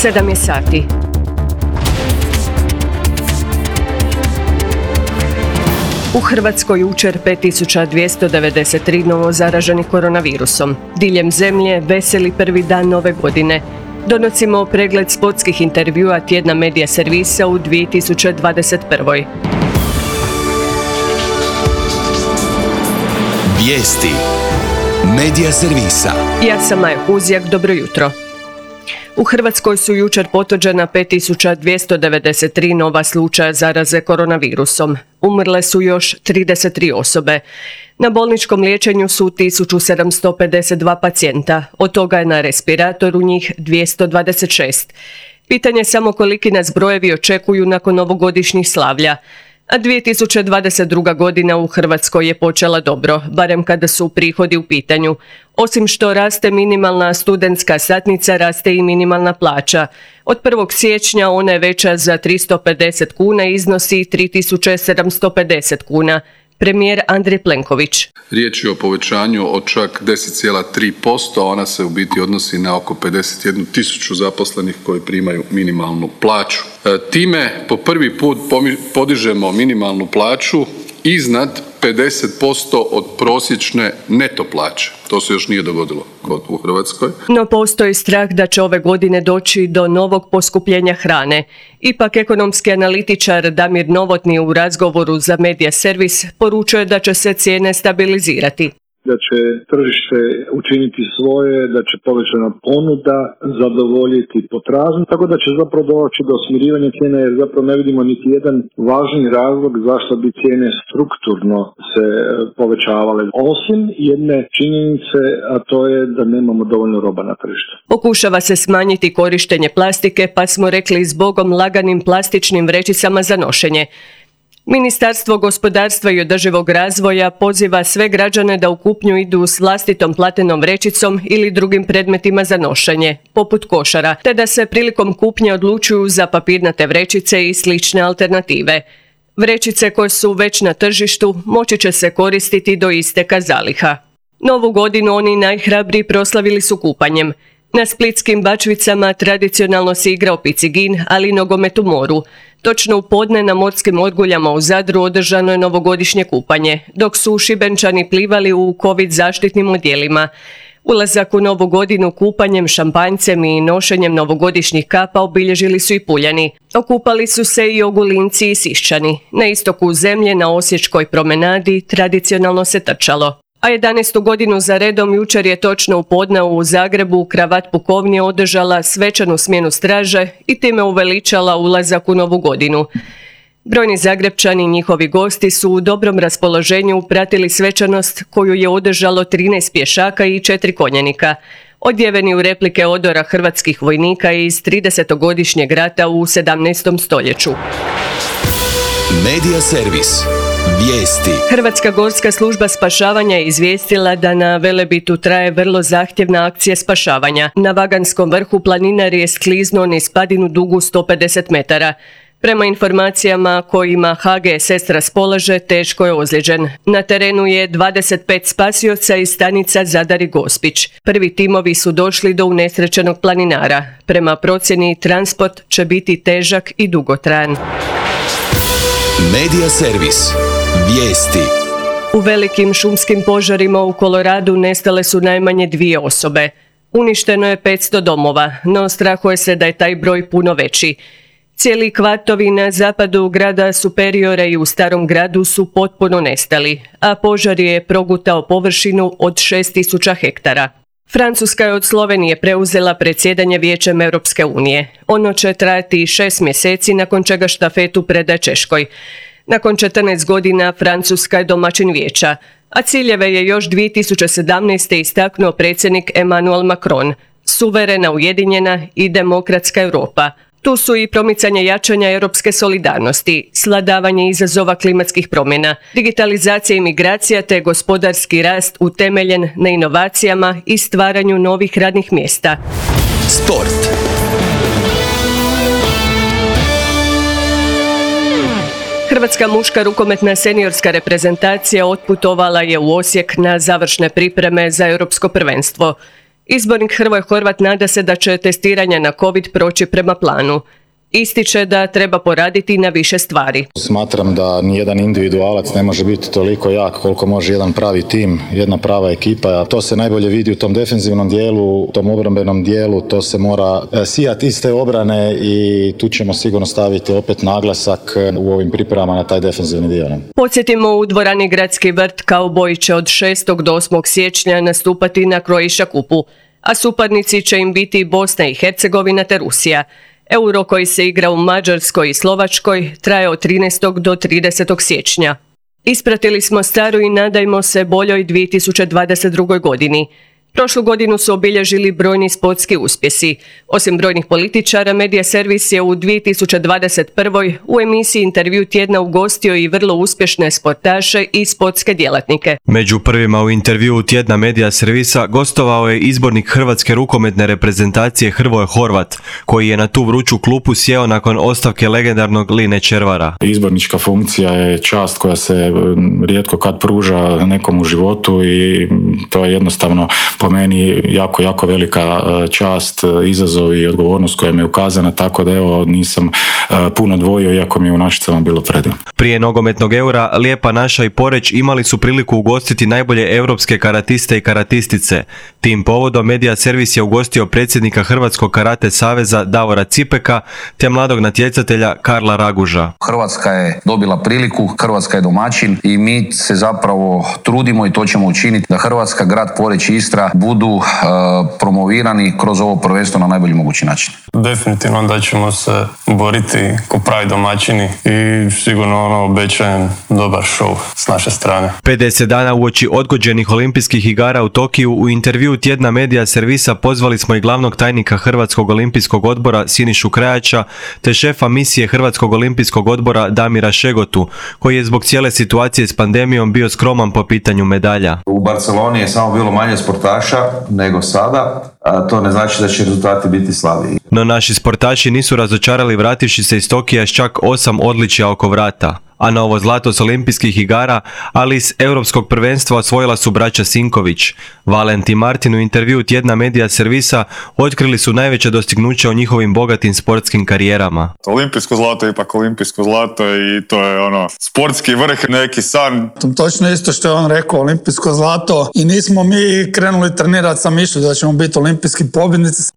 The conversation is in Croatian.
7 je sati. U Hrvatskoj jučer 5293 novo zaraženih koronavirusom. Diljem zemlje veseli prvi dan nove godine. Donosimo pregled sportskih intervjua tjedna medija servisa u 2021. Vijesti medija servisa. Ja sam Maja Kuzjak, dobro jutro. U Hrvatskoj su jučer potvrđena 5293 nova slučaja zaraze koronavirusom. Umrle su još 33 osobe. Na bolničkom liječenju su 1752 pacijenta, od toga je na respiratoru njih 226. Pitanje samo koliki nas brojevi očekuju nakon ovogodišnjih slavlja. A 2022. godina u Hrvatskoj je počela dobro, barem kada su prihodi u pitanju. Osim što raste minimalna studentska satnica, raste i minimalna plaća. Od 1. siječnja ona je veća za 350 kuna i iznosi 3750 kuna. Premijer Andrej Plenković. Riječ je o povećanju od čak 10,3%, a ona se u biti odnosi na oko 51.000 zaposlenih koji primaju minimalnu plaću. Time po prvi put podižemo minimalnu plaću iznad 50% od prosječne neto plaće. To se još nije dogodilo u Hrvatskoj. No postoji strah da će ove godine doći do novog poskupljenja hrane. Ipak ekonomski analitičar Damir Novotni u razgovoru za Medija servis poručuje da će se cijene stabilizirati. Da će tržište učiniti svoje, da će povećana ponuda zadovoljiti potražnju, tako da će zapravo doći do smirivanja cijene, jer zapravo ne vidimo niti jedan važni razlog zašto bi cijene strukturno se povećavale. Osim jedne činjenice, a to je da nemamo dovoljno roba na tržištu. Pokušava se smanjiti korištenje plastike, pa smo rekli zbogom laganim plastičnim vrećicama za nošenje. Ministarstvo gospodarstva i održivog razvoja poziva sve građane da u kupnju idu s vlastitom platenom vrećicom ili drugim predmetima za nošenje, poput košara, te da se prilikom kupnje odlučuju za papirnate vrećice i slične alternative. Vrećice koje su već na tržištu moći će se koristiti do isteka zaliha. Novu godinu oni najhrabriji proslavili su kupanjem. Na splitskim Bačvicama tradicionalno se igrao picigin, ali i nogomet u moru. Točno u podne na morskim Orguljama u Zadru održano je novogodišnje kupanje, dok su Šibenčani plivali u COVID zaštitnim odjelima. Ulazak u novu godinu kupanjem, šampanjcem i nošenjem novogodišnjih kapa obilježili su i Puljani. Okupali su se i Ogulinci i Siščani. Na istoku zemlje, na Osječkoj promenadi, tradicionalno se trčalo. A 11. godinu za redom jučer je točno u podne u Zagrebu Kravat pukovnije održala svečanu smjenu straže i time uveličala ulazak u novu godinu. Brojni Zagrepčani i njihovi gosti su u dobrom raspoloženju pratili svečanost koju je održalo 13 pješaka i 4 konjanika, odjeveni u replike odora hrvatskih vojnika iz 30-godišnjeg rata u 17. stoljeću. Medija servis. Vijesti. Hrvatska gorska služba spašavanja je izvijestila da na Velebitu traje vrlo zahtjevna akcija spašavanja. Na Vaganskom vrhu planinar je skliznuo niz padinu dugu 150 metara. Prema informacijama kojima HGSS raspolaže, teško je ozlijeđen. Na terenu je 25 spasioca iz stanica Zadar i Gospić. Prvi timovi su došli do unesrećenog planinara. Prema procjeni, transport će biti težak i dugotrajan. Medija servis. Vijesti. U velikim šumskim požarima u Koloradu nestale su najmanje 2 osobe. Uništeno je 500 domova, no strahuje se da je taj broj puno veći. Cijeli kvartovi na zapadu grada Superiore i u Starom gradu su potpuno nestali, a požar je progutao površinu od 6000 hektara. Francuska je od Slovenije preuzela predsjedanje Vijećem Europske unije. Ono će trajati 6 mjeseci, nakon čega štafetu predaje Češkoj. Nakon 14 godina Francuska je domaćin vijeća, a ciljeve je još 2017. istaknuo predsjednik Emmanuel Macron. Suverena, ujedinjena i demokratska Europa. Tu su i promicanje jačanja europske solidarnosti, svladavanje izazova klimatskih promjena, digitalizacija i migracija te gospodarski rast utemeljen na inovacijama i stvaranju novih radnih mjesta. Sport. Hrvatska muška rukometna seniorska reprezentacija otputovala je u Osijek na završne pripreme za europsko prvenstvo. Izbornik Hrvoje Horvat nada se da će testiranja na COVID proći prema planu. Ističe da treba poraditi na više stvari. Smatram da nijedan individualac ne može biti toliko jak koliko može jedan pravi tim, jedna prava ekipa. A to se najbolje vidi u tom defenzivnom dijelu, u tom obrambenom dijelu, to se mora sijati iz te obrane i tu ćemo sigurno staviti opet naglasak u ovim pripremama na taj defenzivni dio. Podsjetimo, u dvorani Gradski vrt Kauboji će od 6. do 8. siječnja nastupati na Croatia Cupu, a suparnici će im biti Bosna i Hercegovina te Rusija. Euro koji se igra u Mađarskoj i Slovačkoj traje od 13. do 30. siječnja. Ispratili smo staru i nadajmo se boljoj 2022. godini. Prošlu godinu su obilježili brojni sportski uspjesi. Osim brojnih političara, Medija servis je u 2021. u emisiji Intervju tjedna ugostio i vrlo uspješne sportaše i sportske djelatnike. Među prvima u Intervju tjedna Medija servisa gostovao je izbornik hrvatske rukometne reprezentacije Hrvoje Horvat, koji je na tu vruću klupu sjeo nakon ostavke legendarnog Line Červara. Izbornička funkcija je čast koja se rijetko kad pruža nekom u životu i to je jednostavno po meni jako velika čast, izazov i odgovornost koja mi je ukazana, tako da evo nisam puno dvojio, iako mi je u Našicama bilo predivno. Prije nogometnog Eura, Lijepa naša i Poreč imali su priliku ugostiti najbolje europske karatiste i karatistice. Tim povodom Medija servis je ugostio predsjednika Hrvatskog karate saveza Davora Cipeka te mladog natjecatelja Karla Raguža. Hrvatska je dobila priliku, Hrvatska je domaćin i mi se zapravo trudimo i to ćemo učiniti da Hrvatska, grad Poreč i Istra budu promovirani kroz ovo prvenstvo na najbolji mogući način. Definitivno da ćemo se boriti ko pravi domaćini i sigurno obećajem dobar show s naše strane. 50 dana uoči odgođenih olimpijskih igara u Tokiju u Intervju tjedna Medija servisa pozvali smo i glavnog tajnika Hrvatskog olimpijskog odbora Sinišu Krajača te šefa misije Hrvatskog olimpijskog odbora Damira Šegotu, koji je zbog cijele situacije s pandemijom bio skroman po pitanju medalja. U Barceloni je samo bilo manje sportaša nego sada, a to ne znači da će rezultati biti slabiji. No naši sportaši nisu razočarali vrativši se iz Tokija s čak 8 odličja oko vrata. A novo zlato s olimpijskih igara, ali iz europskog prvenstva osvojila su braća Sinković. Valent i Martin u Intervju tjedna Medija servisa otkrili su najveće dostignuće o njihovim bogatim sportskim karijerama. Olimpijsko zlato je ipak olimpijsko zlato i to je sportski vrh, neki san. Točno isto što je on rekao, olimpijsko zlato, i nismo mi krenuli trenirati sa mišlju da ćemo biti olimpijski pobjednici.